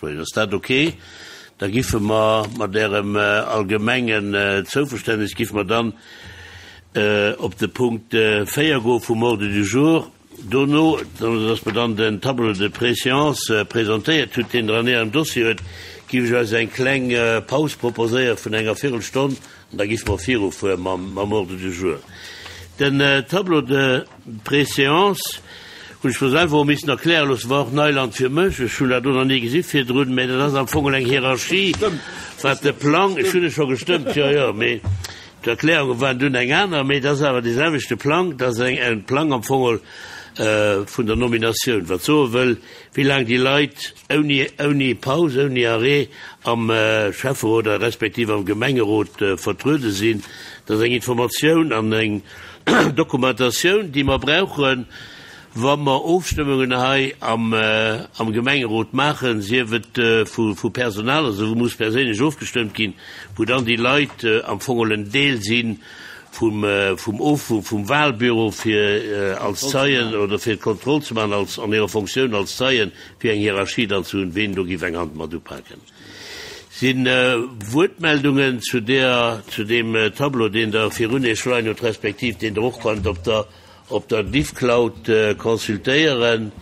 Lëtzebuergesch. Ass dat ok? Da giffe mer mat Ärem allgemengen Zouverständnis giffe mer dann op de Punkt 4 goe vum Ordre du jour. Dono, dass mer dann den Tableau de préséance presentéiert hutt, deen Der an Ärem Dossier huet, giff ech eis eng kleng Paus proposéiere vun enger Virelstonn an da giffe mer virufuere mam Ordre du jour. Den Tableau de préséance hunn ech mer selwer och missen erkläre loossen, war och Neiland fir mech, ech hunn dat do nach ni gesi virdrun, mä dat ass am Fong eng Hierarchie, wat de Plang, ech hunn e scho gestëmmt, jo, jo, mee D'Erklärunge waren dunn eng aner, mee et ass awer dee selwechte Plang. Et ass e Plang am Fong vun der Nominatioun, wat soe wëll, wéi laang déi Leit ouni, ouni Paus, ouni Arrêt am Schäfferot a respektiv am Gemengerot vertruede sinn. Dat ass eng Informatioun an eng Dokumentatioun, déi mer brauchen, Wa mer Ofstëmmungen hei am Gemengerot maachen, sief et vu Personal, also wou muss perséinlech ofgestëmmt ginn, wou dann déi Leit am Fong geholl en Deel si vum vum Wahlbüro fir als Zeien oder fir d'Kontroll ze maachen als an hirer Fonctioun als Zeien, fir eng Hierarchie dann ze hunn, ween do géif eng Hand mat upaken. Sinn Wuertmeldungen zu där, zu deem Tableau, deen Der virun Iech leien hutt, respektiv deen Der och konnt op der Op der Diffcloud consultéieren.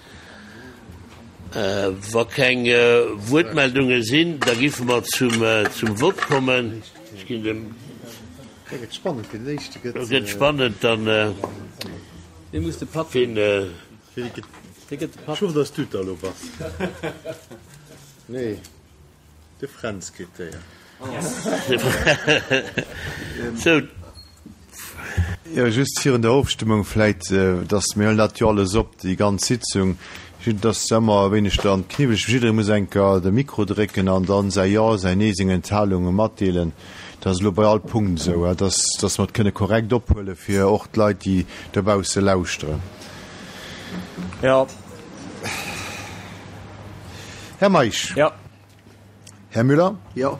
Wa keng Wuertmeldunge sinn, da giffe mer zum Vott kommen. Ech ginn dem. Da gëtt spannend, wien den éischte gëtt. Da gëtt spannend, dann. Wee muss de Patt? Wien. Wee gëtt de Patt? Ech hoffen, dass du et da elo bass. Nee. De Fränz kritt d'Éier. Sou. Jo, just virun der Ofstëmmung vläit, dass, mir huelen dat jo alles op, déi ganz Sitzung, just dass ëmmer e wéineg dann kniwweleg, jidderee muss eng Kéier de Mikro drécken an dann säi Jo, säi Nee, seng Enthalunge matdeelen. Dat ass elo bei all Punkt esou, dass, dass mer et kënne korrekt ophuelen, fir och d'Leit, déi dobausse lauschteren. Jo. Här Meisch. Jo. Här Müller. Jo.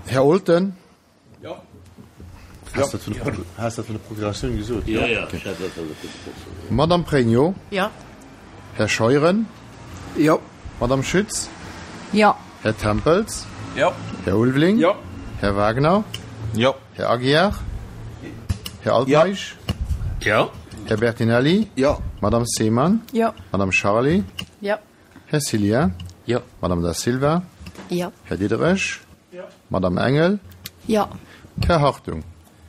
Här Olten. Jo. Has dat vun der Procuratioun gesot? Jo, jo, ech hat dat vun der Procuratioun. Madame Pregno. Jo. Här Scheuren. Jo. Madame Schütz. Jo. Här Tempels. Jo. Här Ulveling. Jo. Här Wagner. Jo. Här Aguiar. Här Altmeisch. Jo. Här Bertinelli. Jo. Madame Seemann. Jo. Madame Charlé. Jo. Här Cillien. Jo. Madame Da Silva. Jo. Här Diderich. Jo. Madame Engel. Jo. Här Hartung.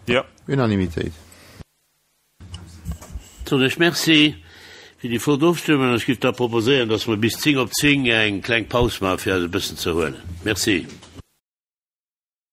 Jo. Unanimitéit. Soen ech Merci fir déi flott Ofstëmmung an ech géif da proposéieren, dass mer bis 10 op 10 eng kleng Paus maachen, fir eis e bëssen ze erhuelen. Merci.